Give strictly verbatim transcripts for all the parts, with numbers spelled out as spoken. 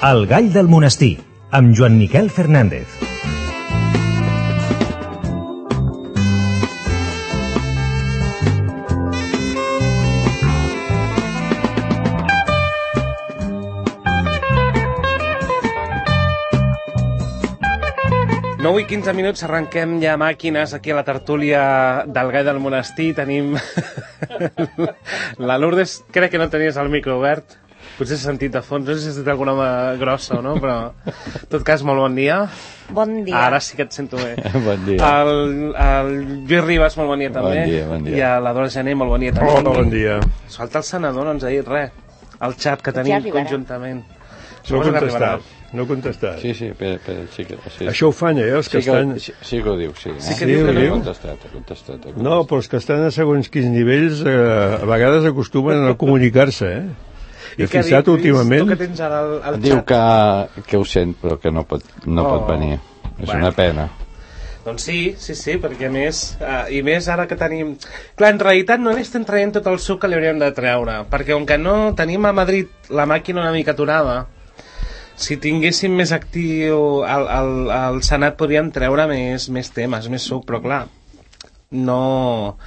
El gall del monestir, amb Joan Miquel Fernández. nou i quinze minuts, arrenquem ja màquines aquí a la tertúlia del gall del monestir. Tenim la Lourdes, crec que no tenies el micro obert, potser s'ha sentit de fons, no sé si has dit alguna mà grossa o no, però en tot cas, molt bon dia. Bon dia. Ara sí que et sento bé. Bon dia. El, el Lluís Ribas, molt bon dia també. Bon dia, bon dia. I a la Dora Gené, molt bon dia també. Hola, bon dia. Falta el senador, no ens ha dit res. El xat que tenim ja conjuntament. No ha contestat, no ha contestat. Sí, sí, per, per, sí, que, sí. Això ho fan, eh, els que sí que, estan... Sí, sí que ho diu, sí. Eh? Sí que Sí, diu que ho no. diu? Ha contestat, ha contestat, ha contestat. No, però els que estan a segons quins nivells eh, a vegades acostumen a no comunicar-se, eh? He què ha fixat dit, Lluís? últimament... Tu que tens ara el, el Diu xat. que, que ho sent, però que no pot, no Oh. pot venir. És Bueno. una pena. Doncs sí, sí, sí, perquè a més, uh, i més ara que tenim... Clar, en realitat no n'estem traient tot el suc que li hauríem de treure, perquè com que no tenim a Madrid la màquina una mica aturada, si tinguéssim més actiu al, al, al Senat podríem treure més, més temes, més suc, però clar, no...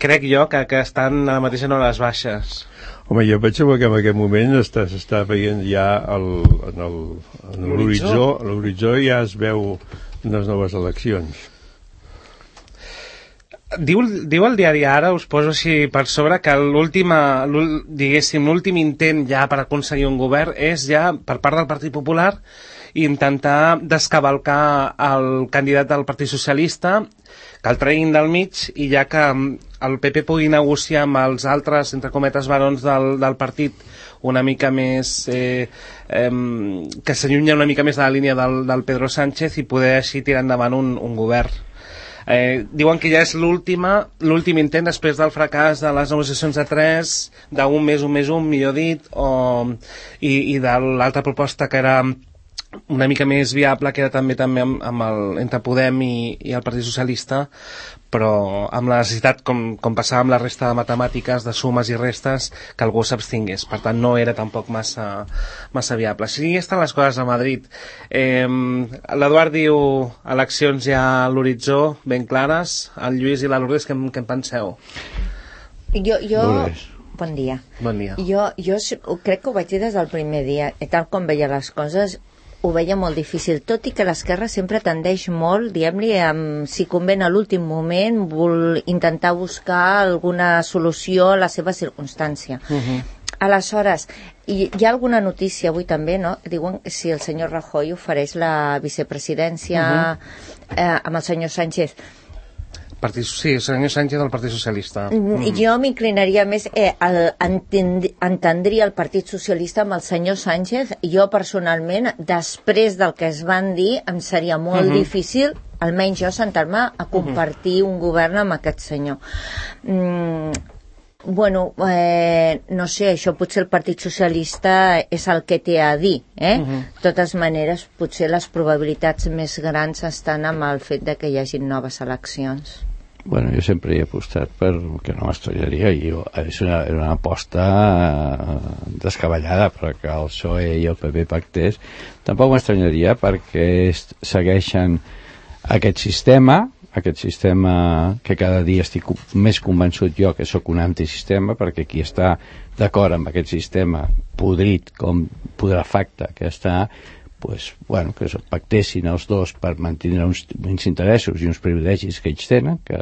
Crec jo que, que estan ara mateix en hores baixes. Home, jo penso que en aquest moment està- s'està veient ja el, en el, en l'horitzó, a l'horitzó ja es veu unes noves eleccions. Diu, diu el diari Ara, us poso així per sobre, que l'última, l'ul- diguéssim, l'últim intent ja per aconseguir un govern és ja, per part del Partit Popular, intentar descavalcar el candidat del Partit Socialista, que el treguin del mig i ja que el P P pugui negociar amb els altres, entre cometes, barons del, del partit una mica més... Eh, eh, que s'allunya una mica més de la línia del, del Pedro Sánchez i poder així tirar endavant un, un govern. Eh, diuen que ja és l'última l'últim intent després del fracàs de les negociacions de tres, d'un més un més un, millor dit, o, i, i de l'altra proposta que era una mica més viable, que era també també amb, amb el, entre Podem i, i el Partit Socialista, però amb la necessitat, com, com passava amb la resta de matemàtiques, de sumes i restes, que algú s'abstingués. Per tant, no era tampoc massa, massa viable. Així estan les coses a Madrid. Eh, L'Eduard diu eleccions ja a l'horitzó, ben clares. El Lluís i la Lourdes, què, què en penseu? Jo, jo... Lourdes. Bon dia. Bon dia. Jo, jo s- crec que ho vaig dir des del primer dia, i tal com veia les coses, ho veia molt difícil, tot i que l'esquerra sempre tendeix molt, diguem-li, amb, si conven a l'últim moment, vol intentar buscar alguna solució a la seva circumstància. Uh-huh. Aleshores, hi, hi ha alguna notícia avui també, no? Diuen que si el senyor Rajoy ofereix la vicepresidència uh-huh. eh, amb el senyor Sánchez. Partit, sí, el senyor Sánchez del Partit Socialista. Mm. Jo m'inclinaria més, eh, el, entend, entendria el Partit Socialista amb el senyor Sánchez. Jo personalment, després del que es van dir, em seria molt uh-huh. difícil, almenys jo, sentar-me a compartir uh-huh. un govern amb aquest senyor. Mm, bueno, eh, no sé, això potser el Partit Socialista és el que té a dir, eh? Uh-huh. De totes maneres, potser les probabilitats més grans estan amb el fet de que hi hagi noves eleccions. Bueno, jo sempre he apostat per que no m'estranyaria, i jo, és una, una aposta eh, descabellada, però que el P S O E i el P P pactés tampoc m'estranyaria, perquè est- segueixen aquest sistema aquest sistema que cada dia estic més convençut jo que sóc un antisistema, perquè qui està d'acord amb aquest sistema podrit com putrefacte que està, pues, bueno, que es pactessin els dos per mantenir uns, uns interessos i uns privilegis que ells tenen, que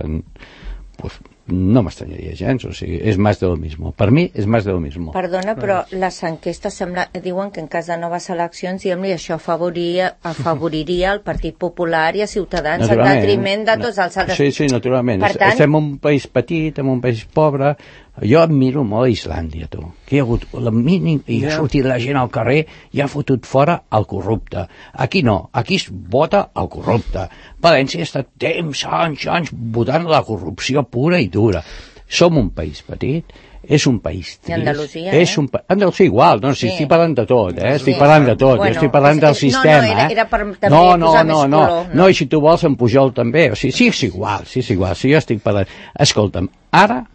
pues, no m'estranyaria gens, o sigui, és més de lo mismo. Per mi és més de lo mismo. Perdona, però les enquestes sembla, diuen que en cas de noves eleccions, diguem-li, això afavoriria, afavoriria el Partit Popular i a Ciutadans en detriment de tots els altres. Sí, sí, naturalment. Per tant, estem en un país petit, en un país pobre. Jo admiro molt Islàndia, tu. Que hi ha hagut el mínim, i ha sortit la gent al carrer i ha fotut fora el corrupte. Aquí no, aquí es vota el corrupte. València ha estat temps, anys, anys, votant la corrupció pura i dura. Som un país petit, és un país trist. I Andalusia, és eh? un pa... Andalusia igual, no, si Sí. estic parlant de tot, eh? Estic Sí. parlant de tot, Bueno, jo estic parlant és- del és- no, sistema, no, era- eh? era per també no, no, posar no, més no, color, no? no, i si tu vols en Pujol també, o sigui, sí, és igual, sí, és igual, si jo estic parlant... Escolta'm, ara,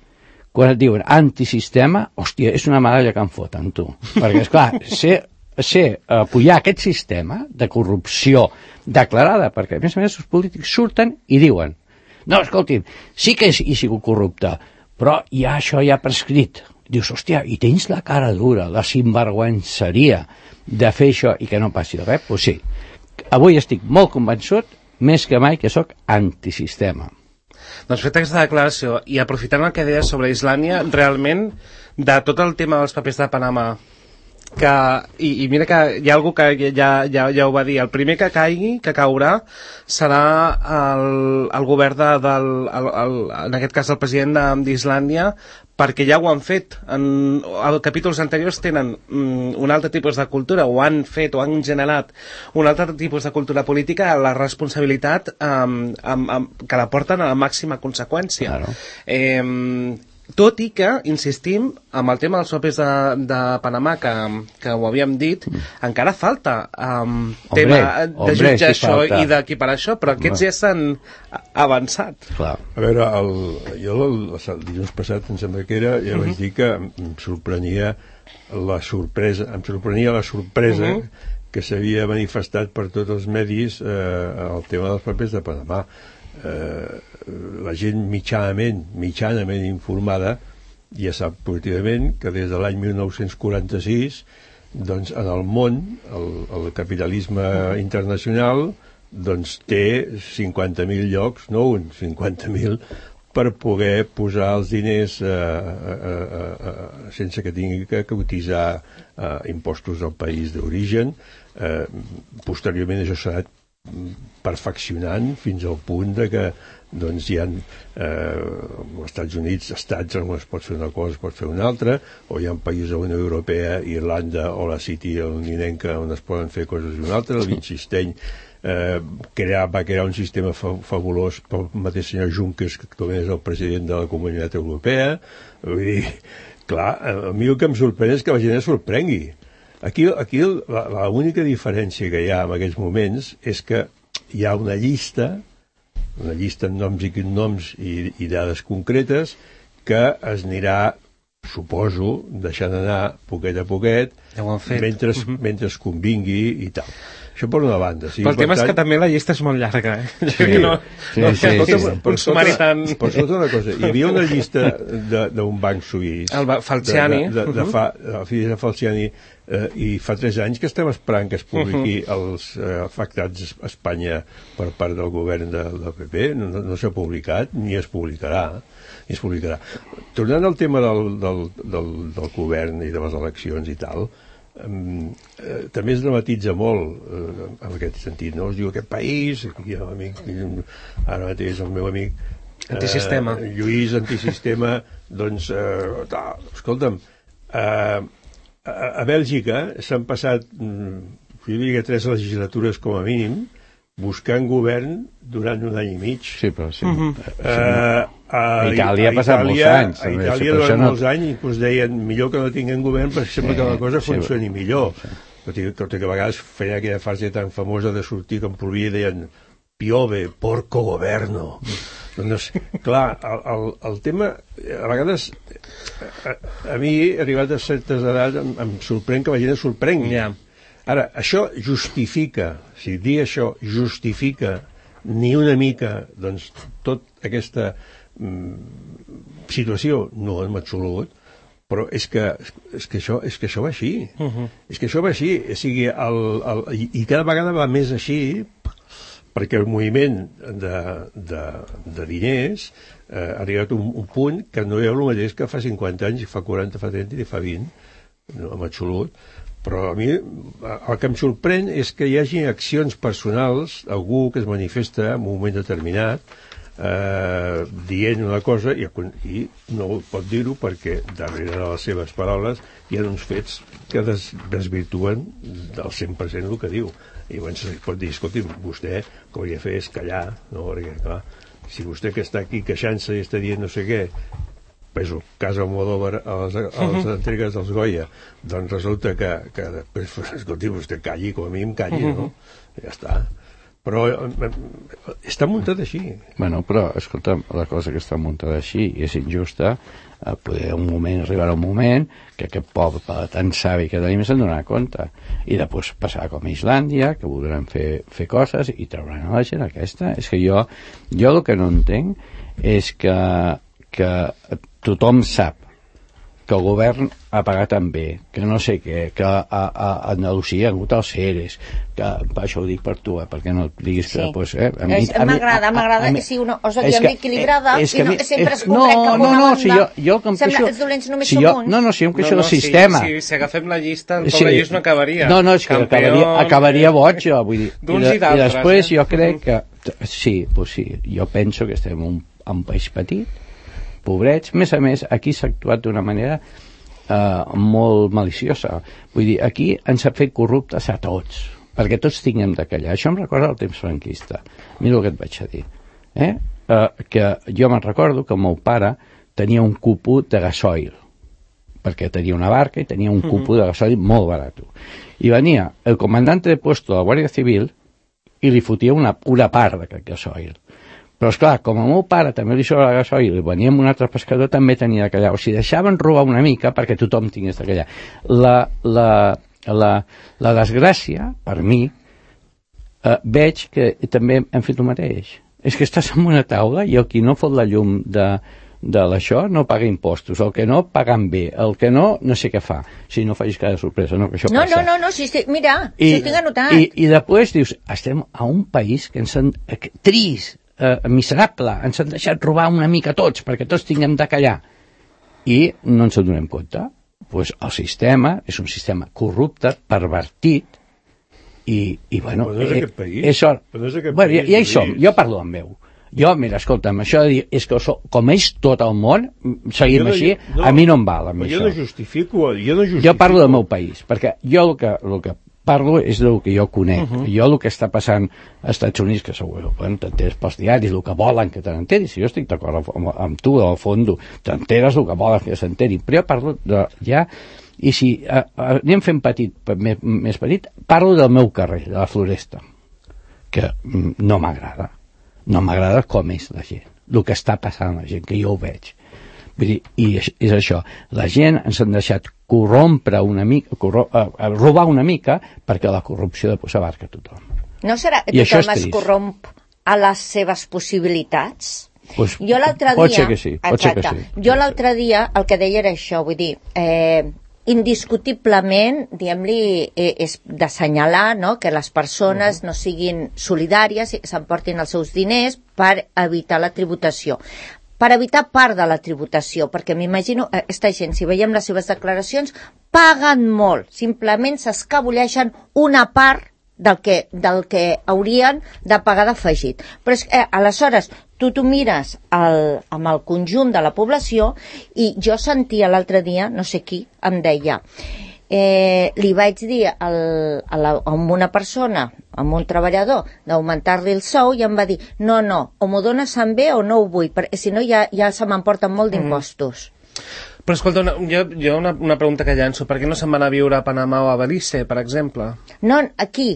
quan et diuen antisistema, hòstia, és una medalla que em foten, tu. Perquè, esclar, ser ser apoyar aquest sistema de corrupció declarada, perquè a més a més els polítics surten i diuen no, escolti'm, sí que he sigut corrupte, però ja això ja ha prescrit. Dius, hòstia, i tens la cara dura, la sinvergüenceria de fer això i que no passi res? Doncs sí, avui estic molt convençut, més que mai, que sóc antisistema. Doncs fet aquesta declaració, i aprofitant el que deies sobre Islàndia, realment, de tot el tema dels papers de Panamà, que, i, i mira que hi ha algú que ja, ja, ja ho va dir, el primer que caigui, que caurà, serà el, el govern de, del, el, el, en aquest cas el president d'Islàndia, perquè ja ho han fet. En, en capítols anteriors tenen mm, un altre tipus de cultura, o han fet, o han generat un altre tipus de cultura política, la responsabilitat um, um, um, que la porten a la màxima conseqüència. Claro. Eh, tot i que, insistim, amb el tema dels papers de, de Panamà, que, que ho havíem dit, mm. encara falta um, hombre, tema de hombre, jutjar si això falta. I d'equiparar això, però aquests ja s'han avançat. Clar. A veure, el, jo el, el dilluns passat, em sembla que era, ja uh -huh. vaig dir que em sorprenia la sorpresa, em sorprenia la sorpresa uh -huh. que s'havia manifestat per tots els medis eh, el tema dels papers de Panamà. Eh, la gent mitjanament, mitjanament informada ja sap positivament que des de l'any mil nou-cents quaranta-sis doncs en el món el, el capitalisme internacional doncs té cinquanta mil llocs, no un, cinquanta mil per poder posar els diners eh, eh, eh, eh, sense que tingui que cotitzar eh, impostos al país d'origen. Eh, posteriorment això s'ha anat perfeccionant fins al punt de que doncs hi ha eh, als Estats Units estats on es pot fer una cosa, es pot fer una altra, o hi ha països de la Unió Europea, Irlanda o la City londinenca on es poden fer coses d'una altra. El Liechtenstein eh, crear, va crear un sistema fa fabulós pel mateix senyor Juncker, que actualment és el president de la Comunitat Europea. Vull dir, clar, a mi el que em sorprèn és que la gent es sorprengui. Aquí, aquí l'única diferència que hi ha en aquests moments és que hi ha una llista, una llista amb noms i cognoms i, i dades concretes que es anirà, suposo, deixant anar poquet a poquet, ja ho han fet. Mentre, uh -huh. mentre es convingui i tal. Això per una banda. Sí, però el tema tant... és que també la llista és molt llarga, eh? Sí, no, sí, no, sí, sí, sí. Per sumari tan... Per sota una cosa, hi havia una llista d'un banc suís... El Falciani. De, de, de, de fa, el fill de Falciani, eh, i fa tres anys que estem esperant que es publiqui uh -huh. els eh, afectats a Espanya per part del govern de, del P P. No, no s'ha publicat, ni es publicarà. Ni es publicarà. Tornant al tema del, del, del, del govern i de les eleccions i tal... Um, eh, també es dramatitza molt eh, en aquest sentit, no? Es diu aquest país, aquí hi ha l'amic, ara mateix el meu amic eh, antisistema Lluís, antisistema doncs, eh, tal, escolta'm eh, a, a Bèlgica s'han passat mm, jo diria tres legislatures com a mínim buscant govern durant un any i mig. Sí, però sí. Uh -huh. uh, a Itàlia ha passat molts anys. A Itàlia sí, durant no... molts anys inclús deien millor que no tinguem govern perquè sembla sí, que la cosa sí, funcioni sí, millor. Sí. Tot, i, tot i que a vegades feien aquella frase tan famosa de sortir que em plovia i deien piove, porco governo. Doncs, clar, el, el, el tema, a vegades, a, a mi, arribat a certes edats, em, em sorprèn que la gent es sorprengui. Yeah. Ara, això justifica, si dir això justifica ni una mica, doncs, tota aquesta mm, situació, no en absolut, però és que, és que, això, és que això va així. Uh -huh. És que això va així. O sigui, el, el, i, i cada vegada va més així, perquè el moviment de, de, de diners eh, ha arribat a un, un punt que no hi ha el mateix que fa cinquanta anys, i fa quaranta, fa trenta i fa vint, no, en absolut. Però a mi el que em sorprèn és que hi hagi accions personals, algú que es manifesta en un moment determinat, eh, dient una cosa i, i no pot dir-ho perquè darrere de les seves paraules hi ha uns fets que des, desvirtuen del cent per cent el que diu. I llavors es pot dir, escolti, vostè el que hauria de fer és callar, no? Perquè, clar, si vostè que està aquí queixant-se i està dient no sé què, és el cas Almodóvar a les, a les entregues dels Goya, doncs resulta que, que després, escolti, vostè calli, com a mínim calli, no? Ja està. però eh, està muntat així. Bueno, però, escolta, la cosa que està muntada així i és injusta, eh, poder un moment, arribarà un moment que aquest poble tan savi que tenim se'n donarà compte. I després passarà com a Islàndia, que voldran fer, fer coses i trauran a la gent aquesta. És que jo, jo el que no entenc és que, que tothom sap que el govern ha pagat tan bé, que no sé què, que a, a, a Andalusia ha hagut els seres, que això ho dic per tu, eh, perquè no et diguis que... Sí. Pues, eh, a mi, m'agrada, m'agrada que sigui una cosa diguem equilibrada i no, sempre es no, cap no, una no, banda. si jo, jo com Sembla queixo, que els dolents només si som jo, uns. no, no, si jo em queixo no, no, del sistema. Si, si, si agafem la llista, el Sí. poble Lluís no acabaria. No, no, és que acabaria, acabaria boig, jo, vull dir. I, D'uns de, i d'altres, I després eh? jo crec que... Sí, pues sí, jo penso que estem en un, un país petit, pobrets. A més a més, aquí s'ha actuat d'una manera Uh, molt maliciosa. Vull dir, aquí ens ha fet corruptes a tots, perquè tots tinguem de callar. Això em recorda el temps franquista. Mira el que et vaig a dir. Eh? Uh, que jo me'n recordo que el meu pare tenia un cupo de gasoil, perquè tenia una barca i tenia un cupo de gasoil molt barat. I venia el comandante de puesto de la Guàrdia Civil i li fotia una, una part d'aquest gasoil. Però, esclar, com a meu pare també li sobra la gasoil i venia amb un altre pescador, també tenia de callar. O sigui, deixaven robar una mica perquè tothom tingués de callar. La, la, la, la desgràcia, per mi, eh, veig que també hem fet el mateix. És que estàs en una taula i el qui no fot la llum de, de l'això no paga impostos, el que no pagant bé, el que no, no sé què fa. Si no facis cada sorpresa, no, que això No, passa. no, no, no, sí, sí, mira, I, si ho tinc anotat. I, I després dius, estem a un país que ens han... Eh, trist, eh, miserable, ens han deixat robar una mica tots, perquè tots tinguem de callar. I no ens en donem compte. Pues el sistema és un sistema corrupte, pervertit, i, i bueno... Però no és eh, aquest país. És or... Però no és aquest bueno, país, ja, ja hi som, Lluís. jo parlo amb meu. Jo, mira, escolta'm, això de dir, és que so, com és tot el món, seguim Jo no- així, no, a mi no em val amb però això. jo no justifico, jo no justifico. Jo parlo del meu país, perquè jo el que, el que parlo és del que jo conec. Uh -huh. Jo el que està passant als Estats Units, que segur, bueno, t'enteres pels diaris, el que volen que te n'enteris, si jo estic d'acord amb, amb tu, al fons, t'enteres el que volen que s'enterin, però jo parlo de, ja, i si eh, anem fent petit, més, més petit, parlo del meu carrer, de la Floresta, que mm, no m'agrada. No m'agrada com és la gent, el que està passant la gent, que jo ho veig. Vull dir, i és, és això, la gent ens han deixat corrompre una mica, corro, uh, robar una mica, perquè la corrupció després abarca tothom. No serà que I això és tothom es trist. corromp a les seves possibilitats? Pues, Jo l'altre dia... pot ser que sí, pot ser que exacte, sí. Jo l'altre dia el que deia era això, vull dir, eh, indiscutiblement, diguem-li, eh, és d'assenyalar, no?, que les persones no siguin solidàries i s'emportin els seus diners per evitar la tributació. Per evitar part de la tributació, perquè m'imagino, eh, aquesta gent, si veiem les seves declaracions, paguen molt, simplement s'escabulleixen una part del que, del que haurien de pagar d'afegit. Però és que, eh, aleshores, tu t'ho mires el, amb el conjunt de la població i jo sentia l'altre dia, no sé qui, em deia, eh, li vaig dir al, a, la, a una persona, a un treballador, d'augmentar-li el sou i em va dir, no, no, o m'ho dones en bé o no ho vull, perquè si no ja, ja se m'emporten molt d'impostos. Mm. Però escolta, una, jo, jo una, una pregunta que llanço. Per què no se'n van a viure a Panamà o a Belize, per exemple? No, aquí.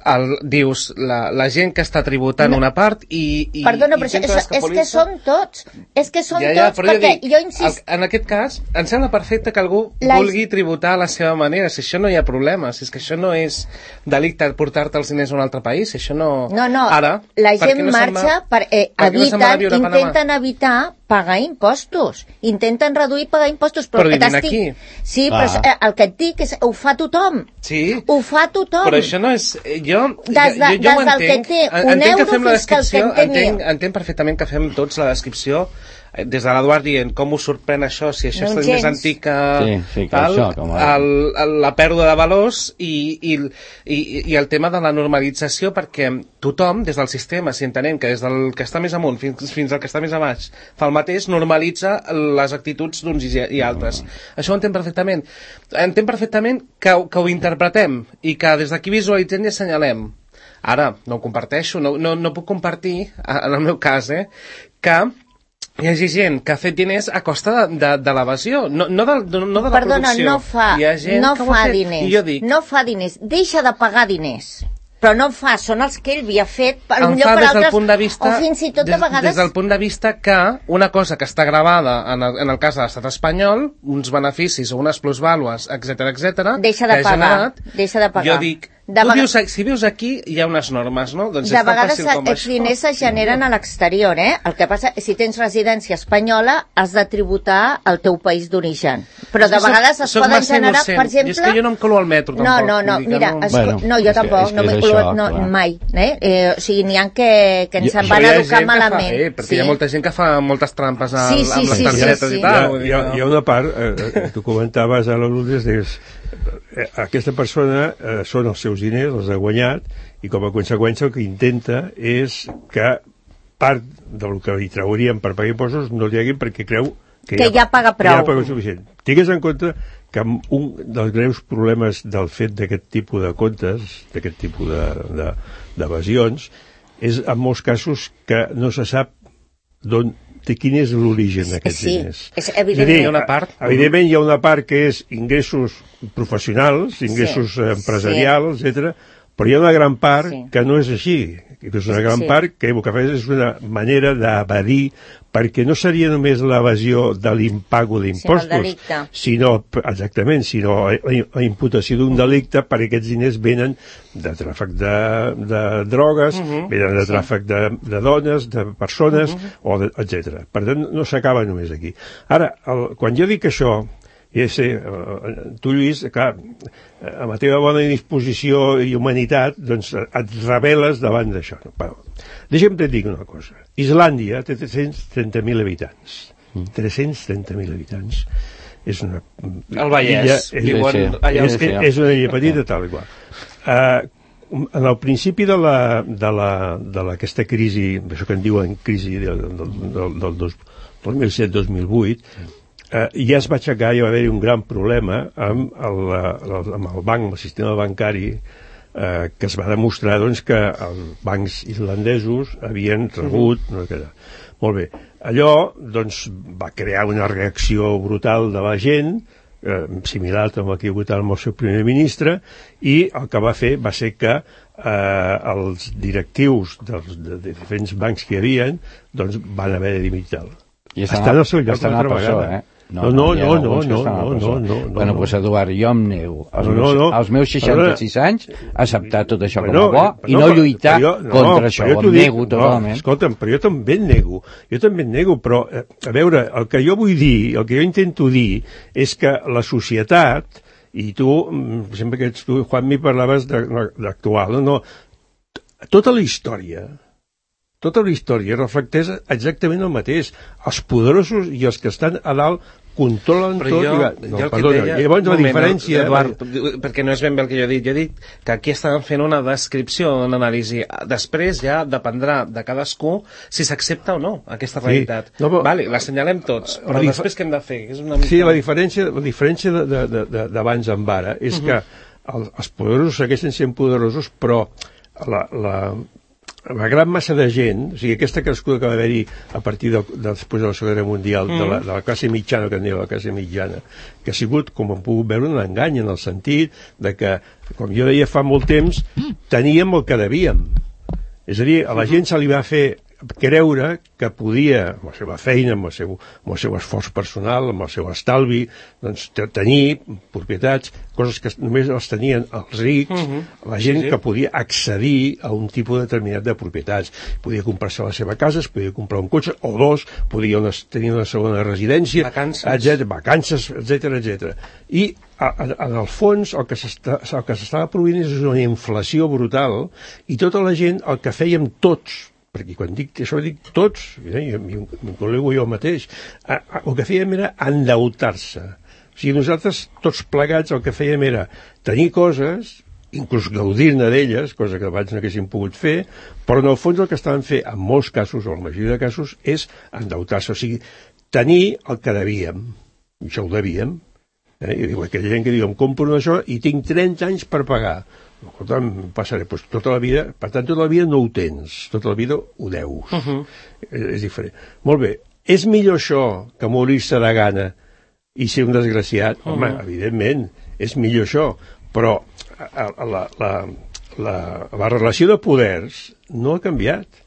El, dius, la, la gent que està tributant No. una part i... i Perdona, i però és, intenta és que escapolir-se? són tots. És que són Ja, ja, tots, però jo perquè dic, jo insist... el, en aquest cas, em sembla perfecte que algú La- vulgui tributar a la seva manera. Si això no hi ha problema, si és que això no és delicte portar-te els diners a un altre país, si això no... No, no, Ara, la per què gent no se'n marxa va- per, eh, per què no se'n va a eviten, viure a Panamà? intenten evitar pagar impostos. Intenten reduir pagar impostos. Però, Però el que vivint t'estic- aquí. Sí, Ah. però és- eh, el que et dic és ho fa tothom. Sí, Ho fa tothom. però això no és... Jo, Des de- jo, jo, jo ho des del que entenc. té En- un entenc que euro fem la fins que el que descripció, en té entenc, mil. entenc perfectament que fem tots la descripció eh, des de l'Eduard dient com us sorprèn això, si això No, és més gens. antic que, Sí, sí, que tal, això, com a- el, el, la pèrdua de valors i, i, i, i el tema de la normalització, perquè tothom, des del sistema, si entenem que des del que està més amunt fins, fins al que està més a baix, fa el mateix, normalitza les actituds d'uns i, i altres. Mm. Això ho entenc perfectament. Entenc perfectament que, ho- que ho interpretem i que des d'aquí visualitzem i assenyalem. Ara, no ho comparteixo, no, no, no puc compartir, en el meu cas, eh, que hi hagi gent que ha fet diners a costa de, de, de l'evasió, no, no, de, no, no de la Perdona, producció. no fa, Hi ha gent no que ho ha fa fet. diners. I jo dic, No fa diners. Deixa de pagar diners. però no fa, són els que ell havia fet per em un lloc fa per des del altres, punt de vista, o fins i tot des, a vegades... des del punt de vista que una cosa que està gravada en el, en el cas de l'estat espanyol, uns beneficis o unes plusvàlues, etc etc, deixa de pagar, generat, deixa de pagar. Jo dic, de tu vius, si vius aquí hi ha unes normes, no? Doncs de és tan vegades fàcil com els això. diners es generen a l'exterior, eh? El que passa és que si tens residència espanyola has de tributar al teu país d'origen. Però de vegades es soc poden generar, innocent. per exemple... I és que jo no em colo al metro, tampoc. No, no, no, mira, no... es... Bueno, no, jo tampoc, és no m'he colo no, mai. Eh? Eh, o sigui, n'hi ha que, que ens en van educar malament. Fa, eh, perquè sí. hi ha molta gent que fa moltes trampes al, sí, sí, amb les sí, targetes sí, sí. i tal. Hi ha, hi ha una part, eh, tu comentaves a la Lourdes, deies, eh, aquesta persona eh, són els seus diners, els ha guanyat, i com a conseqüència el que intenta és que part del que li traurien per pagar impostos no li haguin perquè creu que, que ja, ja paga prou. Ja paga suficient. Tingues en compte que un dels greus problemes del fet d'aquest tipus de comptes, d'aquest tipus d'evasions, de, de, és en molts casos que no se sap d'on de quin és l'origen d'aquests sí, diners. És evident. dir, hi ha una part. Evidentment hi ha una part que és ingressos professionals, ingressos sí, empresarials, sí. etcètera, però hi ha una gran part sí. que no és així, que és una gran sí. part que el que fa és una manera d'evadir, perquè no seria només l'evasió de l'impago d'impostos, sinó, exactament, sinó la imputació d'un delicte perquè aquests diners venen de tràfic de, de drogues, uh -huh. venen de tràfic sí. de, de dones, de persones, uh -huh. o de, etcètera. Per tant, no s'acaba només aquí. Ara, el, quan jo dic això, i sé, tu, Lluís, clar, amb la teva bona disposició i humanitat, doncs et reveles davant d'això. Però, deixa'm te dir una cosa. Islàndia té tres-cents trenta mil habitants. Mm. tres-cents trenta mil habitants. És una... El Vallès. Illa, és, sí, sí. Allà és, és, és una illa petita, tal i qual. Uh, en el principi de la, de la, de la, aquesta crisi, això que en diuen crisi del, del, del, del dos mil set dos mil vuit, Uh, ja es va aixecar, hi va haver un gran problema amb el, el, amb el banc, amb el sistema bancari, uh, que es va demostrar doncs, que els bancs islandesos havien rebut... Uh-huh. No, que, molt bé. Allò doncs, va crear una reacció brutal de la gent, eh, similar amb el que hi ha hagut amb el seu primer ministre, i el que va fer va ser que eh, els directius dels de, de diferents bancs que hi havia doncs, van haver de dimitir-lo. I estan al seu lloc una altra vegada. Eh? No, no, no, no, no, no, no, no. Bueno, doncs, Eduard, jo em nego als meus, als meus seixanta-sis anys a acceptar tot això com a bo i no lluitar contra això, em nego totalment. Escolta'm, però jo també em nego, jo també em nego, però, a veure, el que jo vull dir, el que jo intento dir, és que la societat, i tu, sempre que ets tu, Juanmi, parlaves d'actual, no, no, tota la història, tota la història reflecteix exactament el mateix. Els poderosos i els que estan a dalt controlen però tot. Jo, I... No, jo perdona, deia, llavors la diferència... Eduard, perquè no és ben bé el que jo he dit. Jo he dit que aquí estàvem fent una descripció, una anàlisi. Després ja dependrà de cadascú si s'accepta o no aquesta realitat. Sí. No, però... Vale, l'assenyalem tots, però dif... després què hem de fer? És una mica... Sí, la diferència, la diferència d'abans amb ara és uh -huh. que el, els poderosos segueixen sent poderosos, però la... la la gran massa de gent, o sigui, aquesta crescuda que va haver-hi a partir de, de, després de la Segona Guerra Mundial, mm. de, la, de la classe mitjana, que en diu la classe mitjana, que ha sigut, com hem pogut veure, un engany, en el sentit de que, com jo deia fa molt temps, teníem el que devíem. És a dir, a la gent se li va fer creure que podia, amb la seva feina, amb el seu, amb el seu esforç personal, amb el seu estalvi, doncs, tenir propietats, coses que només les tenien els rics, uh -huh. la gent sí, sí. que podia accedir a un tipus determinat de propietats. Podia comprar-se la seva casa, es podia comprar un cotxe, o dos, podia una, tenir una segona residència, etcètera, vacances, etcètera, etcètera. I a, a, en el fons el que s'estava produint és una inflació brutal, i tota la gent, el que fèiem tots, perquè quan dic això dic tots, eh, m'inclogo jo mateix, a, a, el que fèiem era endeutar-se. O sigui, nosaltres tots plegats el que fèiem era tenir coses, inclús gaudir-ne d'elles, cosa que abans no haguéssim pogut fer, però en el fons el que estaven fent, en molts casos, o en la majoria de casos, és endeutar-se, o sigui, tenir el que devíem. I això ho devíem. Eh? I diu, aquella gent que diu, em compro això i tinc trenta anys per pagar. Escolta, em passaré, doncs tota la vida, per tant, tota la vida no ho tens, tota la vida ho deus. Uh -huh. és, és diferent. Molt bé, és millor això que morir-se de gana i ser un desgraciat? Uh -huh. Home, evidentment, és millor això, però la, la, la, la relació de poders no ha canviat.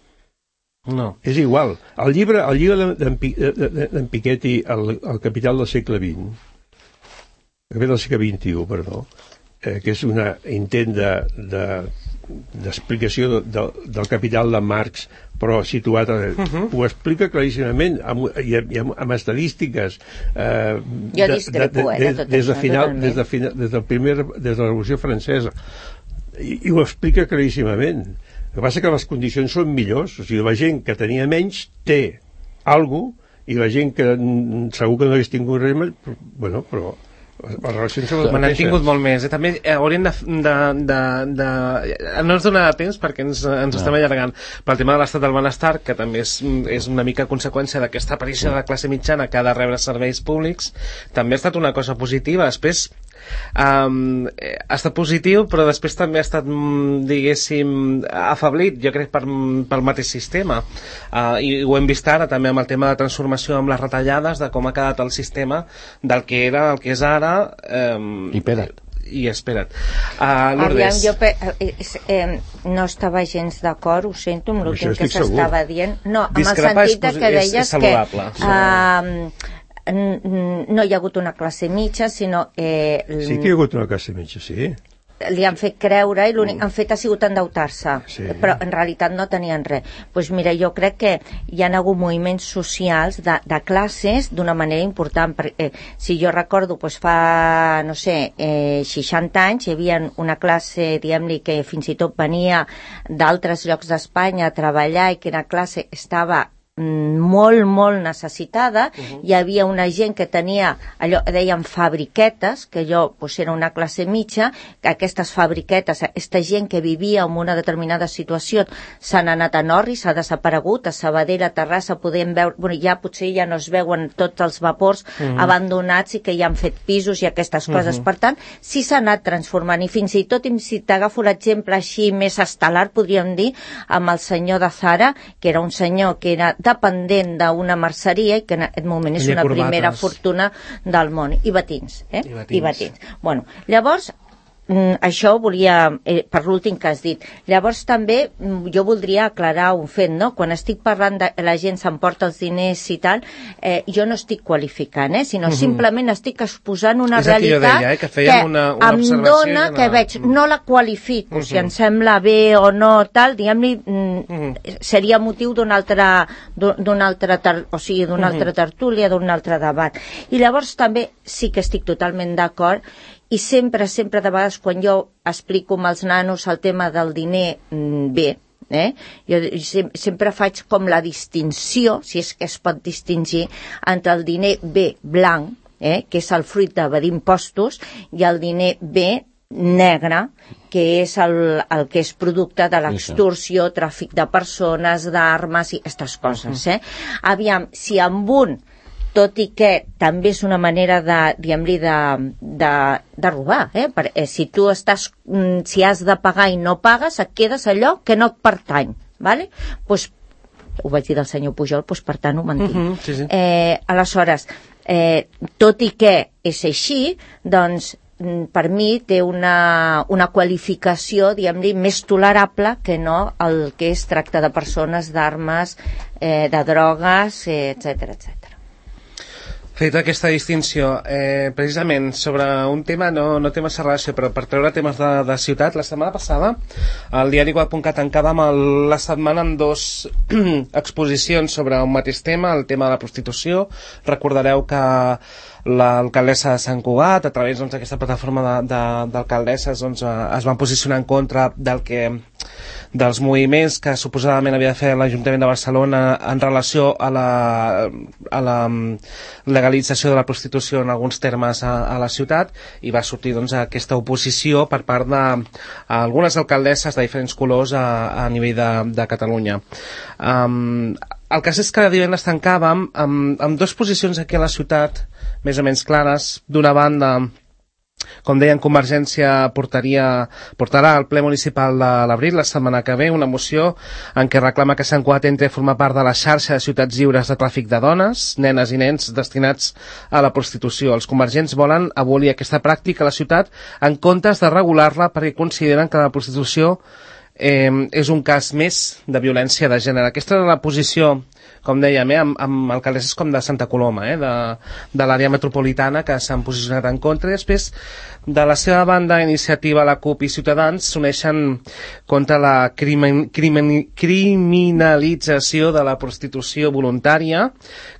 No. És igual. El llibre, el llibre d'en Piketty, el, el Capital del segle vint, el Capital del segle vint-i-u, perdó, eh, que és un intent de, de, d'explicació de, de, del Capital de Marx, però situat, a, uh-huh. ho explica claríssimament, amb, i, i amb, amb estadístiques. Eh, jo discrepo, de, de, eh, de tot des de això, final, des de, final, des, del primer, des de la Revolució Francesa. I, i ho explica claríssimament. El que passa que les condicions són millors, o sigui, la gent que tenia menys té alguna cosa, i la gent que segur que no hagués tingut res més, bueno, però les relacions són les mateixes. N'han tingut molt més. Eh? També eh, haurien de, de, de, de... No ens donarà temps perquè ens, ens no. estem allargant, però el tema de l'estat del benestar, que també és, és una mica conseqüència d'aquesta aparició de la classe mitjana que ha de rebre serveis públics, també ha estat una cosa positiva. Després um, ha estat positiu, però després també ha estat, diguéssim, afablit, jo crec, per, pel mateix sistema. Uh, I ho hem vist ara també amb el tema de transformació amb les retallades, de com ha quedat el sistema del que era, el que és ara. Um, I espera't. I espera't. Uh, Aviam, jo pe eh, eh, no estava gens d'acord, ho sento, amb l'últim que s'estava dient. No, amb el sentit de que deies és, és que uh, no hi ha hagut una classe mitja, sinó... Eh, sí que hi ha hagut una classe mitja, sí. Li han fet creure i l'únic que han fet ha sigut endeutar-se, sí. Però en realitat no tenien res. Doncs mira, jo crec que hi ha hagut moviments socials de, de classes d'una manera important. Eh, si jo recordo, doncs fa, no sé, eh, seixanta anys, hi havia una classe, diguem-li, que fins i tot venia d'altres llocs d'Espanya a treballar i que la classe estava molt, molt necessitada. Uh-huh. Hi havia una gent que tenia allò, deien fabriquetes, que allò pues, era una classe mitja, que aquestes fabriquetes, aquesta gent que vivia en una determinada situació s'han anat a Norri, s'ha desaparegut, a Sabadell, a Terrassa podem veure, bueno, ja potser ja no es veuen tots els vapors uh-huh. abandonats i que ja han fet pisos i aquestes coses. Uh-huh. Per tant, sí s'ha anat transformant i fins i tot, si t'agafo l'exemple així més estel·lar, podríem dir, amb el senyor de Zara, que era un senyor que era dependent d'una merceria i que en aquest moment és una primera fortuna del món. I batins, eh? I batins. I batins. Bueno, llavors, això volia, eh, per l'últim que has dit. Llavors també jo voldria aclarar un fet, no? Quan estic parlant de la gent s'emporta els diners i tal, eh, jo no estic qualificant, eh? Sinó uh-huh. simplement estic exposant una és realitat que, deia, eh? que, que una, una em dona, que la... veig, no la qualifico, uh-huh. si em sembla bé o no, tal, diguem-li, uh-huh. seria motiu d'una altra, d'una altra, o sigui, d'una uh-huh. altra tertúlia, d'un altre debat. I llavors també sí que estic totalment d'acord. I sempre, sempre de vegades quan jo explico amb els nanos el tema del diner bé, eh? jo sempre faig com la distinció, si és que es pot distingir, entre el diner bé blanc, eh? que és el fruit d'evadir impostos, i el diner bé negre, que és el, el que és producte de l'extorsió, tràfic de persones, d'armes i aquestes coses. Eh? Aviam, si amb un tot i que també és una manera de, diguem-li, de, de, de robar, eh? Per, eh, si tu estàs, si has de pagar i no pagues, et quedes allò que no et pertany, ¿vale? Pues, ho vaig dir del senyor Pujol, pues, per tant ho mantinc. Uh-huh, sí, sí. Eh, aleshores, eh, tot i que és així, doncs, per mi té una, una qualificació, diguem-li, més tolerable que no el que és tracte de persones, d'armes, eh, de drogues, eh, etcètera, etcètera. Feta aquesta distinció, eh, precisament sobre un tema, no, no té massa relació, però per treure temes de, de ciutat, la setmana passada el diari web punt cat tancava amb el, la setmana amb dos exposicions sobre un mateix tema, el tema de la prostitució. Recordareu que l'alcaldessa de Sant Cugat, a través doncs, d'aquesta plataforma d'alcaldesses, doncs, es van posicionar en contra del que dels moviments que suposadament havia de fer l'Ajuntament de Barcelona en relació a la, a la legalització de la prostitució en alguns termes a, a la ciutat, i va sortir doncs, aquesta oposició per part d'algunes alcaldesses de diferents colors a, a nivell de, de Catalunya. Um, el cas és que divendres tancàvem amb, amb dues posicions aquí a la ciutat més o menys clares. D'una banda, Com deien, Convergència portaria, portarà al ple municipal de l'abril, la setmana que ve, una moció en què reclama que Sant Cugat entri a formar part de la xarxa de ciutats lliures de tràfic de dones, nenes i nens destinats a la prostitució. Els convergents volen abolir aquesta pràctica a la ciutat en comptes de regular-la perquè consideren que la prostitució eh, és un cas més de violència de gènere. Aquesta és la posició, com dèiem, eh, amb, amb alcaldesses com de Santa Coloma, eh, de, de l'àrea metropolitana, que s'han posicionat en contra. I després, de la seva banda, Iniciativa, la CUP i Ciutadans s'uneixen contra la crimen, crimen, criminalització de la prostitució voluntària,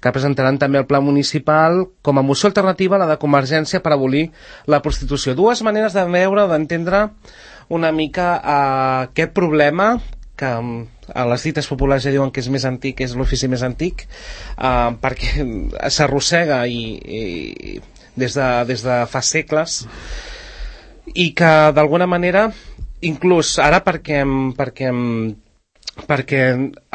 que presentaran també el pla municipal com a moció alternativa a la de Convergència per abolir la prostitució. Dues maneres de veure o d'entendre una mica uh, aquest problema que a les dites populars ja diuen que és més antic, és l'ofici més antic, uh, perquè s'arrossega i, i des, de, des de fa segles, i que d'alguna manera, inclús ara perquè, perquè, perquè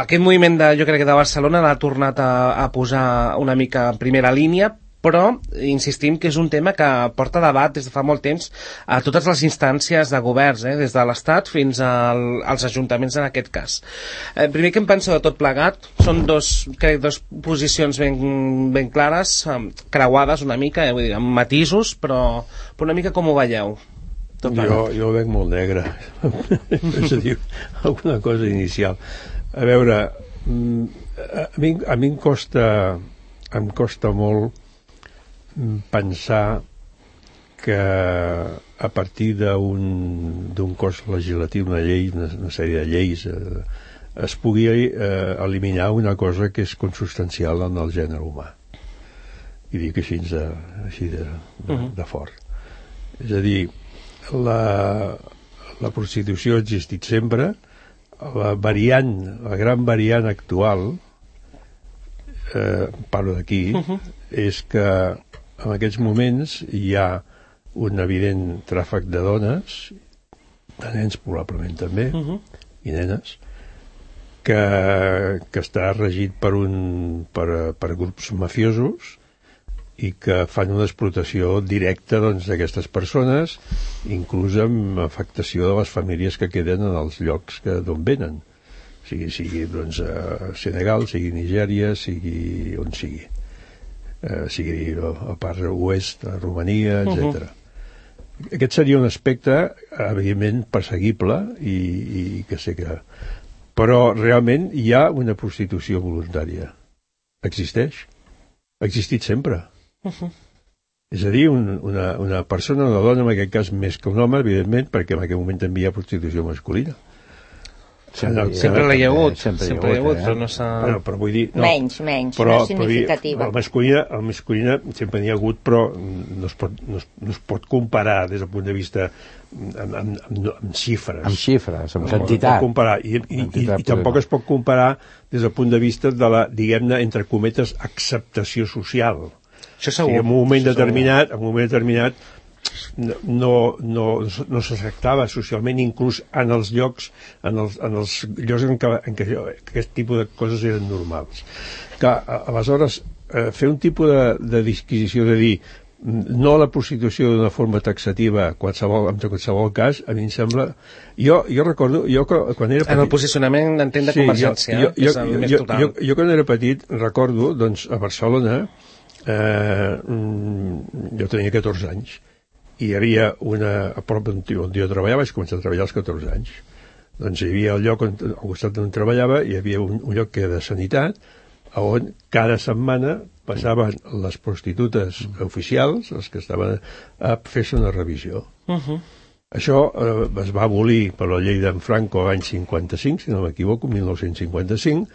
aquest moviment de, jo crec que de Barcelona l'ha tornat a, a posar una mica en primera línia, però insistim que és un tema que porta debat des de fa molt temps a totes les instàncies de governs, eh, des de l'Estat fins al, als ajuntaments en aquest cas. Eh, primer, què em penso de tot plegat? Són dos, crec, dos posicions ben, ben clares, creuades una mica, eh, vull dir, amb matisos, però, però una mica com ho veieu? Jo, jo ho veig molt negre. És a dir, alguna cosa inicial. A veure, a mi, a mi em costa, em costa molt pensar que a partir d'un d'un cos legislatiu, una llei, una, una sèrie de lleis, eh, es pugui eh, eliminar una cosa que és consubstancial en el gènere humà. I dic així de, així de, de, de fort. És a dir, la, la prostitució ha existit sempre, la variant, la gran variant actual, eh, parlo d'aquí, uh-huh. és que en aquests moments hi ha un evident tràfic de dones, de nens probablement també, uh-huh. i nenes, que, que està regit per, un, per, per grups mafiosos i que fan una explotació directa doncs, d'aquestes persones, inclús amb afectació de les famílies que queden en els llocs que d'on venen, sigui, sigui doncs, a Senegal, sigui Nigèria, sigui on sigui. Eh, sigui a part oest, a Romania, etcètera. Uh-huh. Aquest seria un aspecte evidentment perseguible i, i que sé que... Però realment hi ha una prostitució voluntària. Existeix. Ha existit sempre. Uh-huh. És a dir, un, una, una persona, una dona, en aquest cas més que un home, evidentment, perquè en aquest moment també hi ha prostitució masculina. Sempre, no, sempre l'hi ha hagut, sempre, sempre hi ha hagut, eh? Però no s'ha... Bueno, però vull dir... No, menys, menys, però, no significativa. El masculina, el masculina sempre n'hi ha hagut, però no es, pot, no, es, no es pot comparar des del punt de vista amb, amb, amb, amb xifres. Amb xifres, amb no, quantitat. No comparar. I, i, i, i tampoc es pot comparar des del punt de vista de la, diguem-ne, entre cometes, acceptació social. Això segur. O sigui, en un moment determinat, en un moment determinat no, no, no s'acceptava socialment, inclús en els llocs en els, en els llocs en què, en què aquest tipus de coses eren normals. Que aleshores eh, fer un tipus de, de disquisició de dir no a la prostitució d'una forma taxativa qualsevol, en qualsevol cas, a mi em sembla... Jo, jo recordo... Jo, quan era petit, en el posicionament d'entén de Convergència, sí, jo, jo, és el jo, més jo, total. Jo, jo quan era petit recordo, doncs, a Barcelona eh, jo tenia catorze anys i hi havia una, a prop on jo treballava, vaig començar a treballar als catorze anys. Doncs hi havia el lloc on, al costat on treballava, hi havia un, un lloc que era de sanitat, on cada setmana passaven les prostitutes oficials, les que estaven a fer-se una revisió. Uh-huh. Això eh, es va abolir per la llei d'en Franco l'any cinquanta-cinc, si no m'equivoco, mil nou-cents cinquanta-cinc,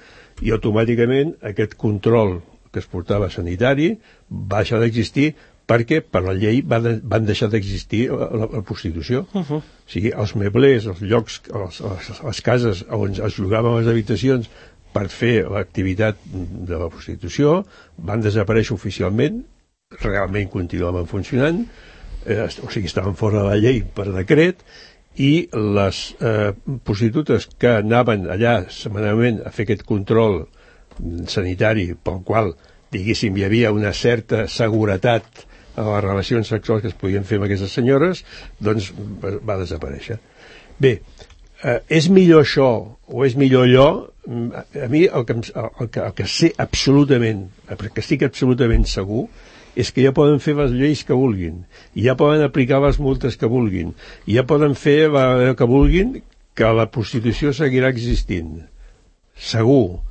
i automàticament aquest control que es portava sanitari va deixar d'existir perquè per la llei va de, van deixar d'existir la, la, la prostitució. Uh-huh. O sigui, els meblers, els llocs, els, les, les cases on es llogaven les habitacions per fer l'activitat de la prostitució van desaparèixer oficialment, realment continuaven funcionant, eh, o sigui, estaven fora de la llei per decret, i les eh, prostitutes que anaven allà setmanalment a fer aquest control sanitari pel qual, diguéssim, hi havia una certa seguretat a les relacions sexuals que es podien fer amb aquestes senyores, doncs va desaparèixer. Bé, eh, és millor això o és millor allò? A mi el que, el que, el que sé absolutament, el que estic absolutament segur, és que ja poden fer les lleis que vulguin, ja poden aplicar les multes que vulguin, ja poden fer el que vulguin, que la prostitució seguirà existint. Segur.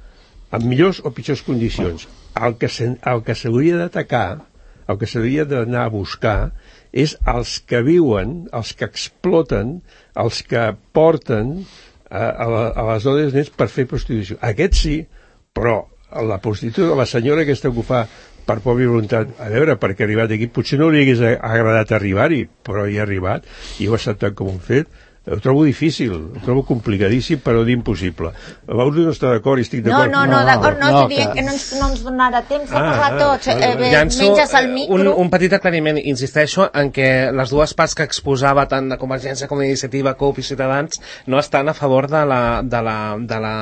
En millors o pitjors condicions. El que, se, el que s'hauria d'atacar, el que s'hauria d'anar a buscar, és els que viuen, els que exploten, els que porten a, a, la, a les dones nets per fer prostitució. Aquest sí, però la prostituta, la senyora aquesta que ho fa per pròpia voluntat, a veure, perquè ha arribat aquí, potser no li hagués agradat arribar-hi, però hi ha arribat, i ho ha acceptat com un fet. Ho trobo difícil, ho trobo complicadíssim, però d'impossible. L'Auri no està d'acord i estic d'acord. No, no, no, d'acord, no, no, no que... que no ens, no ens donarà temps de ah, parlar tots. Ah, vale, eh, menges el micro. Un, un petit aclariment, insisteixo, en què les dues parts que exposava tant de Convergència com d'Iniciativa, C U P i Ciutadans no estan a favor de la, de la, de la,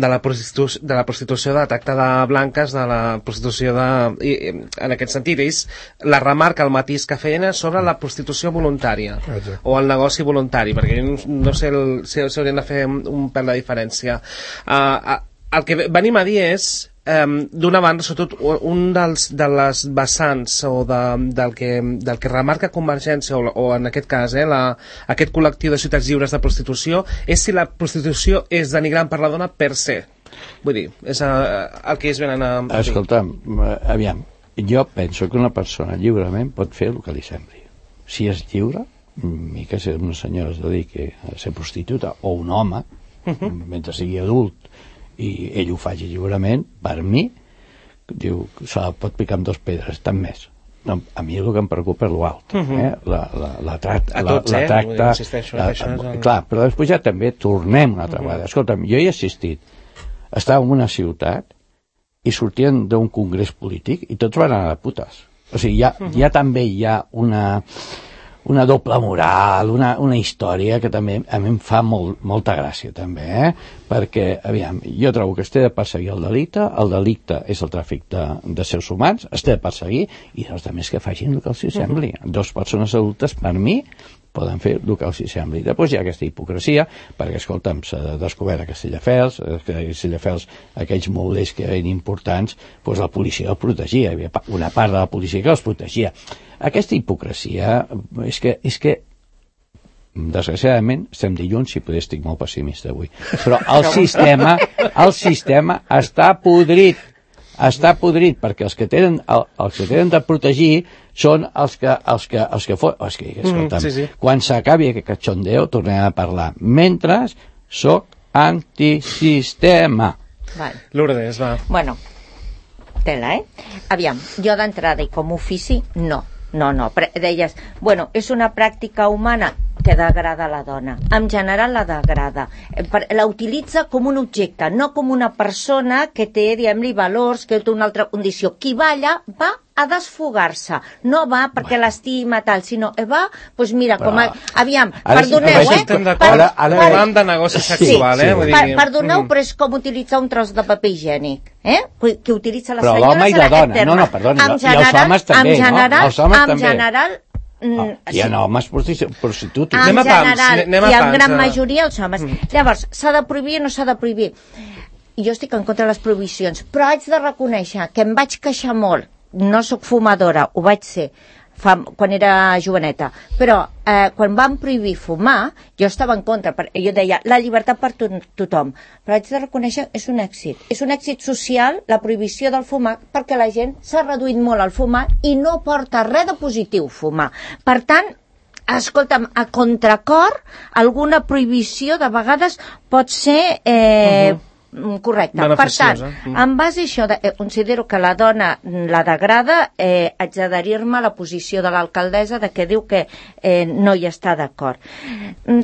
de la, prostitu de la prostitució, de la tracta de blanques, de la prostitució de... I, en aquest sentit, ells la remarca, el matís que feien sobre la prostitució voluntària. Exacte. O el negoci voluntari, perquè no, no sé el, si s'haurien de fer un pèl de diferència. Uh, el que venim a dir és, um, d'una banda, sobretot, un dels, de les vessants o de, del, que, del que remarca Convergència, o, o en aquest cas, eh, la, aquest col·lectiu de ciutats lliures de prostitució, és si la prostitució és denigrant per la dona per se. Vull dir, és uh, el que ells venen a... Escolta'm, aviam, jo penso que una persona lliurement pot fer el que li sembli. Si és lliure, i que si una senyora es dediqui a ser prostituta o un home, uh-huh. mentre sigui adult i ell ho faci lliurement, per mi diu, se la pot picar amb dos pedres, tant més. No, a mi el que em preocupa és l'altre, uh-huh. eh? la, la, la, tract, a tots, la, la tracta eh? Insisteixo, la, això és el... clar, però després ja també tornem una altra uh-huh. vegada. Escolta'm, jo hi he assistit, estava en una ciutat i sortien d'un congrés polític i tots van anar de putes. O sigui, ja, uh-huh. ja també hi ha una una doble moral, una, una història que també a mi em fa molt, molta gràcia també, eh? Perquè, aviam, jo trobo que es té de perseguir el delicte, el delicte és el tràfic de, de éssers humans, es té de perseguir, i els altres que facin el que els sembli. Uh-huh. Dos persones adultes, per mi, poden fer el que els sembli. Després hi ha aquesta hipocresia, perquè, escolta'm, s'ha descobert a Castelldefels, a Castelldefels, aquells molders que eren importants, doncs la policia els protegia, hi havia una part de la policia que els protegia. Aquesta hipocresia és que, és que desgraciadament estem dilluns i potser estic molt pessimista avui, però el sistema el sistema està podrit està podrit perquè els que tenen el, els que tenen de protegir són els que els que, els que, for... els que escolta'm, mm, sí, sí. Quan s'acabi aquest cachondeo tornem a parlar, mentre soc antisistema. Vale. Lourdes, va. Bueno, tela, eh? Aviam, jo d'entrada i com ofici, no. No, no, deies, bueno, és una pràctica humana que degrada la dona. En general la degrada. La utilitza com un objecte, no com una persona que té, diguem-li, valors, que té una altra condició. Qui va allà va a desfogar-se. No va perquè l'estima tal, sinó va, doncs mira, com a... Aviam, perdoneu, eh? Estem d'acord, parlant de negoci sexual, eh? Sí, sí. Perdoneu, però és com utilitzar un tros de paper higiènic, eh? Que utilitza la senyora... Però l'home i la dona, no, no, perdoni, i els homes també, no? Els homes també. En general... Oh, hi ha homes prostituts. En general, i en gran majoria els homes. Llavors, s'ha de prohibir o no s'ha de prohibir? Jo estic en contra de les prohibicions, però haig de reconèixer que em vaig queixar molt. No sóc fumadora, ho vaig ser fa, quan era joveneta, però eh, quan van prohibir fumar, jo estava en contra, per, jo deia, la llibertat per to tothom, però haig de reconèixer és un èxit, és un èxit social la prohibició del fumar, perquè la gent s'ha reduït molt al fumar i no porta res de positiu fumar. Per tant, escolta'm, a contracor, alguna prohibició de vegades pot ser... Eh, uh-huh. Correcte. Per tant, en base a això, eh, considero que la dona la degrada, eh, haig d'adherir-me a la posició de l'alcaldessa de que diu que eh, no hi està d'acord.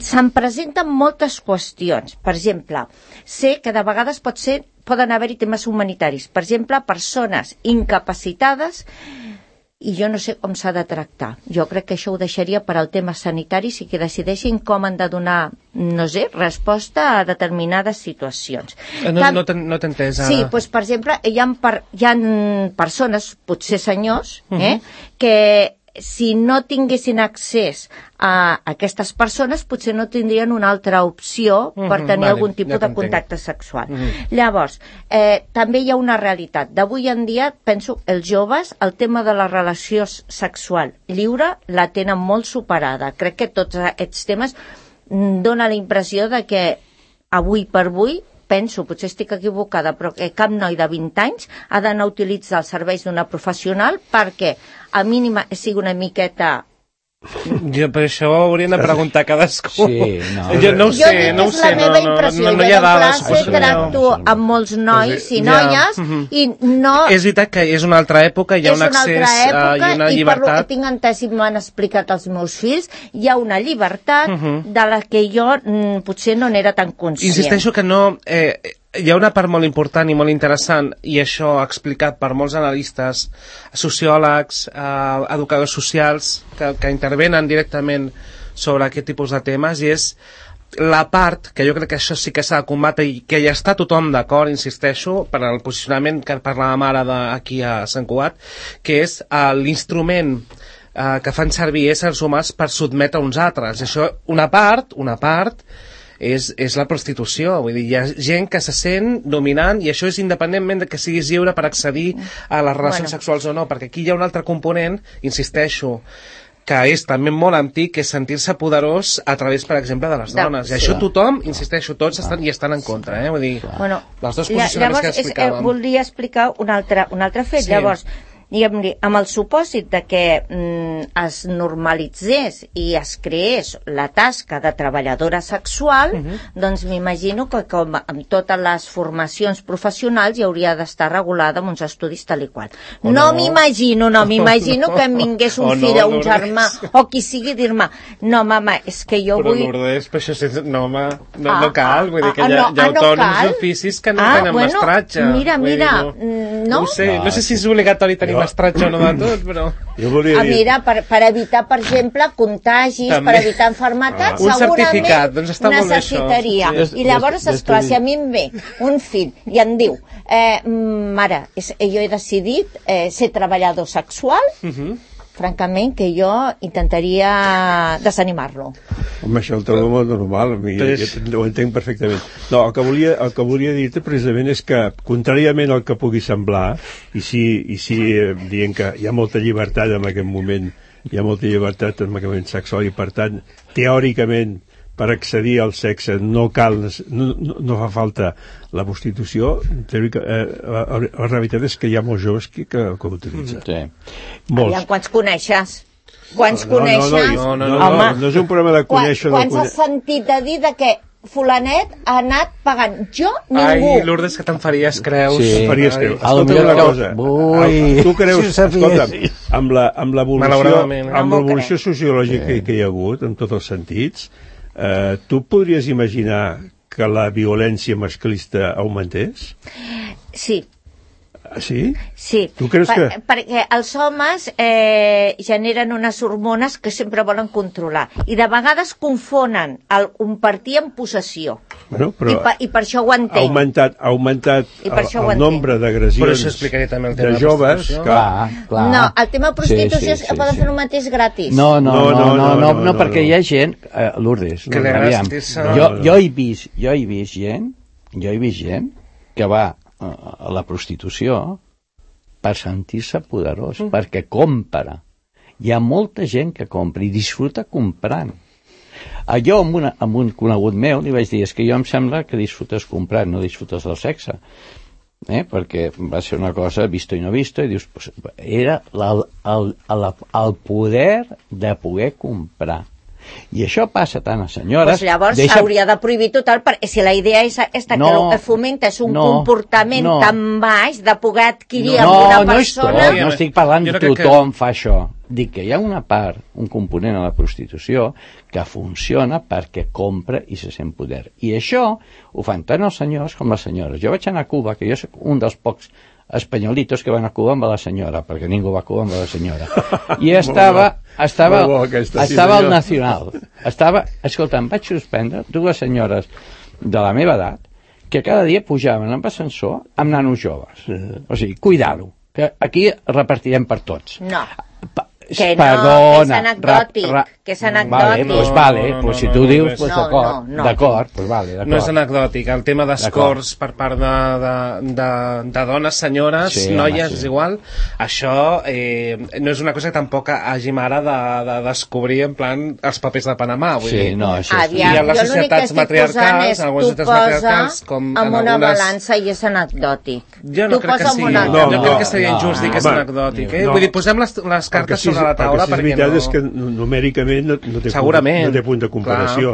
Se'n presenten moltes qüestions. Per exemple, sé que de vegades pot ser, poden haver-hi temes humanitaris. Per exemple, persones incapacitades i jo no sé com s'ha de tractar. Jo crec que això ho deixaria per al tema sanitari, si que decideixin com han de donar, no sé, resposta a determinades situacions. No, Tam... no t'he no entès ara. Sí, doncs, per exemple, hi ha, per, hi ha persones, potser senyors, eh, uh-huh. que si no tinguessin accés a aquestes persones, potser no tindrien una altra opció per uh-huh, tenir vale, algun tipus ja de contacte sexual. Uh-huh. Llavors, eh, també hi ha una realitat. D'avui en dia, penso, els joves, el tema de la relació sexual lliure la tenen molt superada. Crec que tots aquests temes dona la impressió de que avui per avui, penso, potser estic equivocada, però que cap noi de vint anys ha d'anar a utilitzar els serveis d'una professional perquè a mínima sigui una miqueta... Jo, per això ho haurien de preguntar a cadascú. Sí, no. Jo no ho sé, no ho sé. Jo dic que és la meva impressió. No, no, no hi ha dades. Jo en classe tracto amb molts nois i noies ja. i no... És veritat que és una altra època, hi ha un accés època, uh, i una i llibertat. I per lo que tinc entès i m'han explicat els meus fills, hi ha una llibertat uh -huh. de la que jo mm, potser no n'era tan conscient. Insisteixo que no... Eh, hi ha una part molt important i molt interessant, i això explicat per molts analistes, sociòlegs, eh, educadors socials, que, que intervenen directament sobre aquest tipus de temes, i és la part, que jo crec que això sí que s'ha de combatre i que ja està tothom d'acord, insisteixo, per al posicionament que parlàvem ara de, aquí a Sant Cugat, que és eh, l'instrument eh, que fan servir éssers humans per sotmetre uns altres. Això, una part, una part, És, és la prostitució, vull dir, hi ha gent que se sent dominant, i això és independentment de que siguis lliure per accedir a les relacions bueno. sexuals o no, perquè aquí hi ha un altre component, insisteixo, que és també molt antic, que és sentir-se poderós a través, per exemple, de les dones. I això tothom, insisteixo, tots estan, hi estan en contra, eh? Vull dir, bueno, els dos posicionaments que explicàvem. Llavors, eh, voldria explicar un altre, un altre fet. Sí. Llavors, diguem-li, amb el supòsit de que mm, es normalitzés i es creés la tasca de treballadora sexual, uh-huh. doncs m'imagino que com amb totes les formacions professionals hi hauria d'estar regulada amb uns estudis tal i qual. O no, no m'imagino, no m'imagino no. que em vingués un o fill no, o un germà o qui sigui dir-me, no mama, és que jo però vull... Però Lourdes, però això és... no, home, no, ah, no cal, vull dir que ah, hi ha, no, hi ha autònoms no d'oficis que no ah, tenen bueno, mestratge. Mira, mira, dir, no, no? No, sé, no sé si és obligatori tenir no. mestratge o no de tot, però... Jo volia ah, dir... mira, per, per evitar, per exemple, contagis, també. Per evitar enfermetats, ah. segurament doncs està necessitaria. Molt I llavors, esclar, si a mi em ve un fill i em diu, eh, mare, és, jo he decidit eh, ser treballador sexual, uh-huh. francament, que jo intentaria desanimar-lo. Home, això el trobo molt normal, mi, Pes... ho entenc perfectament. No, el que volia, el que volia dir-te precisament és que, contràriament al que pugui semblar, i si, i si eh, dient que hi ha molta llibertat en aquest moment, hi ha molta llibertat en aquest moment sexual, i per tant, teòricament, per accedir al sexe no cal, no, no, no fa falta la prostitució, teòrica, eh, la, la realitat és que hi ha molts joves que, que, que ho utilitzen. Sí. Molts. Aviam, quants coneixes? Quants no, coneixes? No, no, no, no, no, no, no és un problema de conèixer. Quan, quants no has sentit de dir de que fulanet ha anat pagant? Jo, ningú. Ai, Lourdes, que te'n faries creus. Sí, faries creus. Escolta una cosa. Ui, tu creus, si escolta'm, amb l'evolució amb l'evolució no sociològica sí. que hi ha hagut, en tots els sentits, eh, tu podries imaginar que la violència masclista augmentés? Sí. Sí? Sí, tu creus per, que... perquè els homes eh, generen unes hormones que sempre volen controlar i de vegades confonen el compartir amb possessió. Bueno, però I, per, I per això ho entenc. Ha augmentat, ha augmentat el, el nombre d'agressions de joves. Que... Clar, clar. No, el tema de prostitució sí, sí, sí, poden sí. fer el mateix gratis. No, no, no, no, no, no, no, no, no perquè hi ha gent, eh, Lourdes, que no, aviam, jo, jo he vist, jo he vist gent, jo he vist gent que va a la prostitució per sentir-se poderós, mm. perquè compra. Hi ha molta gent que compra i disfruta comprant. Jo amb, una, amb un conegut meu li vaig dir, és que jo em sembla que disfrutes comprant, no disfrutes del sexe. Eh? Perquè va ser una cosa visto i no visto, i dius, pues, era la, el, el, el poder de poder comprar. I això passa tant a senyores... Pues llavors deixa... s'hauria de prohibir total, perquè si la idea és aquesta, no, que el que fomenta és un no, comportament no. tan baix de poder adquirir no, amb una no persona... No, no estic parlant de tothom que... fa això. Dic que hi ha una part, un component a la prostitució que funciona perquè compra i se sent poder. I això ho fan tant els senyors com les senyores. Jo vaig anar a Cuba, que jo soc un dels pocs espanyolitos que van a Cuba amb la senyora, perquè ningú va a Cuba amb la senyora. I estava, estava, bo, aquesta, estava sí, al Nacional. Estava, escolta, em vaig suspendre dues senyores de la meva edat que cada dia pujaven amb ascensor amb nanos joves. O sigui, cuidar-ho, que aquí repartirem per tots. No. Pa Que no, Perdona, que és anecdòtic, ra, ra, que és anecdòtic. Vale, pues vale, No, no, pues si no, tu no, dius, no, pues no, d'acord, no, no. d'acord, pues vale, d'acord. No és anecdòtic, el tema d'escorts per part de, de, de, de dones, senyores, Sí, noies, home, sí. és igual, això eh, no és una cosa que tampoc hàgim ara de, de descobrir en plan els papers de Panamà, vull Sí, dir. no, això és... Aviam, I en les jo l'únic que societats estic posant matriarcals, és en algunes tu societats posa matriarcals, com amb en una algunes... balança i és anecdòtic. Jo no tu crec que posa amb sigui, una no, No, jo no, crec que seria no, injust dir que és home, anecdòtic, eh? no. Vull dir, posem les, les cartes sí, sobre la taula perquè perquè és veritat no... és que numèricament no, no, té Segurament, punt, no té punt de comparació.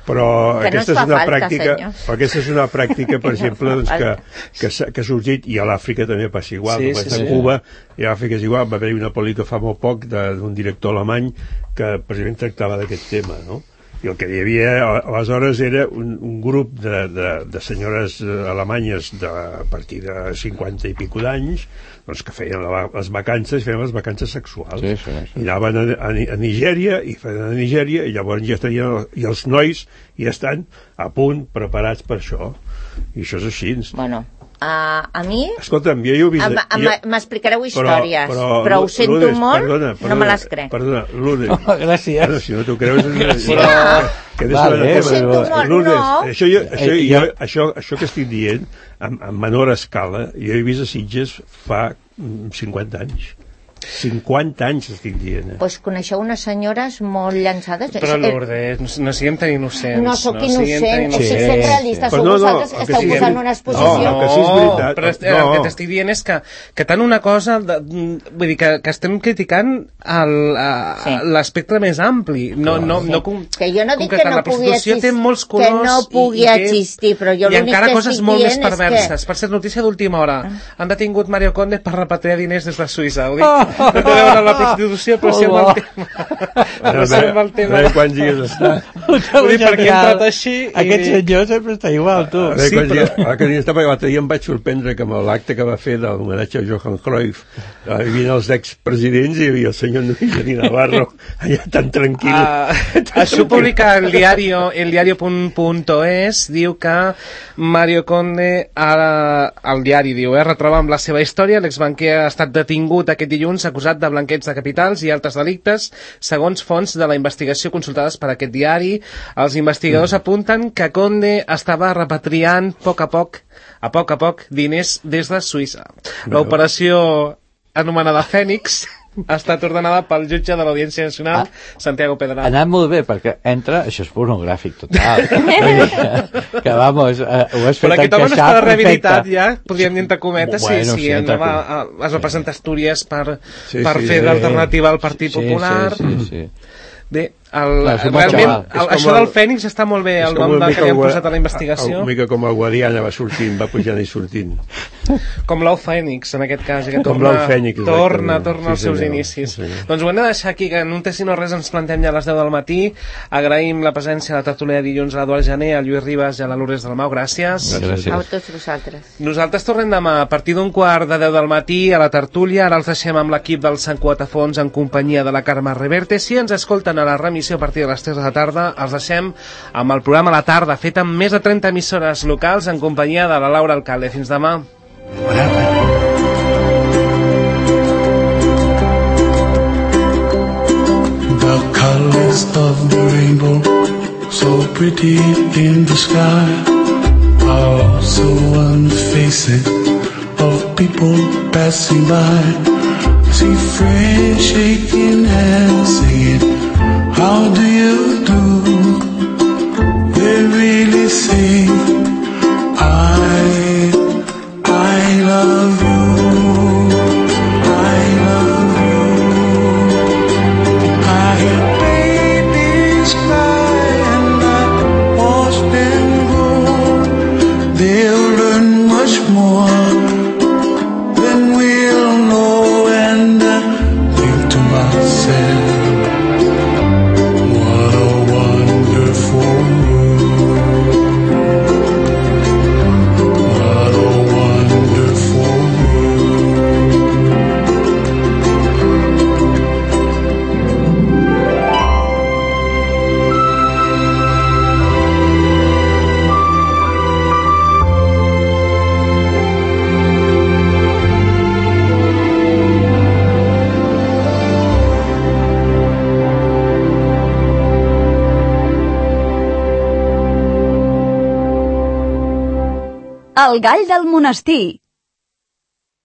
Però Que no aquesta ens fa és una falta, pràctica, senyors. però aquesta és una pràctica, per Que no exemple, fa doncs, que, falta. que, s'ha- que ha sorgit, i a l'Àfrica també passa igual, Sí, com sí, és a sí. Cuba, i a l'Àfrica és igual. Va haver-hi una pel·lícula fa molt poc de- d'un director alemany que precisament tractava d'aquest tema, no? I el que hi havia aleshores era un, un grup de, de, de senyores alemanyes de, a partir de cinquanta i pico d'anys, doncs que feien la, les vacances, feien les vacances sexuals. Sí, sí, sí. I anaven a, a, a Nigèria, i feien a Nigèria, i llavors ja estarien, i els nois ja estan a punt, preparats per això. I això és així. Bueno, uh, a mi Escolta'm, jo ja ho he vist... em- em- jo- m'explicareu històries, però, però ho sento Lourdes, molt, perdona, no perdona, me les crec. Perdona, Lourdes. Oh, gràcies. Bueno, si no t'ho creus... És una, Gràcies. que, que Vale, vale, ho sento molt, Lourdes, no. això, jo, això, Eh, jo, jo- això, això que estic dient, en, en menor escala, jo he vist a Sitges fa mm, cinquanta anys. cinquanta anys estic dient. Eh? Doncs coneixeu unes senyores molt llançades. Però, Eh, Lourdes, no, no siguem tan innocents. No sóc siguem tan innocent, o sigui, innocents. sent realista, Però sou no, no, vosaltres que el que esteu sí que- posant una exposició. No, que sí és veritat. però est- No. el que t'estic dient és que, que tant una cosa, de, vull dir, que, que estem criticant el- a- Sí. l'aspecte més ampli, no, no, no com, Que jo no dic que concretant. no La pugui prostitució té existir- molts que colors no pugui i, i té- existir, però jo i l'únic encara que coses estic molt més dient és perverses. que- Per ser notícia d'última hora, han detingut Mario Conde per repatriar diners des de Suïssa. Ho dic, no té a veure amb la prostitució, però sí amb el tema. Però sí amb el tema. A veure quants dies està. Vull dir, perquè he entrat així i... Aquest senyor sempre està igual, tu. A veure Sí, quants però- dies, l'altre dia estava, l'altre dia em vaig sorprendre que amb l'acte que va fer de l'homenatge a Johan Cruyff eh, hi havia els expresidents i hi havia el senyor Luis Navarro allà tan tranquil. Uh, això publica el diario el diario.es, diu que Mario Conde ara, el diari diu, eh, retroba amb la seva història, l'exbanquer ha estat detingut aquest dilluns acusat de blanqueig de capitals i altres delictes, segons fonts de la investigació consultades per aquest diari. Els investigadors mm. apunten que Conde estava repatriant a poc a poc a poc a poc diners des de Suïssa. L'operació anomenada Fènix ha estat ordenada pel jutge de l'Audiència Nacional, Ah. Santiago Ha Pedral. anat molt bé, perquè entra... Això és pornogràfic total. que, que, vamos, eh, ho has fet Però aquest home no encaixar està rehabilitat perfecte. ja, podríem dir entre cometes, Bueno, sí, sí, sí, entre andava, com- a, es va presentar a Astúries per, Sí, per sí, fer sí. d'alternativa al Partit Sí, Popular. Sí, sí, sí. Bé, el, Clar, és un bon realment, xaval. el, És com això el- del Fènix està molt bé, És el com nom una de, mica que li han el- posat a la investigació. Una mica com el Guadiana va sortint, va pujant i sortint. Com l'ou Fènix, en aquest cas, que Com torna, l'ou Fènix, torna, exactament. torna als Sí, seus senyor. inicis. Sí, senyor. Doncs ho hem de deixar aquí, que en un test i no res ens plantem ja a les deu del matí. Agraïm la presència a la tertúlia de dilluns a l'Eduard Gené, a Lluís Ribas i a la Lourdes Dalmau. Gràcies. Gràcies. A tots vosaltres. Nosaltres tornem demà a partir d'un quart de deu del matí a la tertúlia. Ara els deixem amb l'equip del Sant Cuatafons en companyia de la Carme Reverte. Si ens escolten a la remissió a partir de les tres de la tarda, els deixem amb el programa La Tarda, fet amb més de trenta emissores locals en companyia de la Laura Alcalde. Fins demà. The colors of the rainbow, so pretty in the sky, are also on the faces of people passing by. See friends shaking hands, singing, how do you do? They really say, I, I love you, I love you. I hear babies cry and I watch them grow. They'll learn much more than we'll know, and I think to myself, what a wonderful El gall del monestir.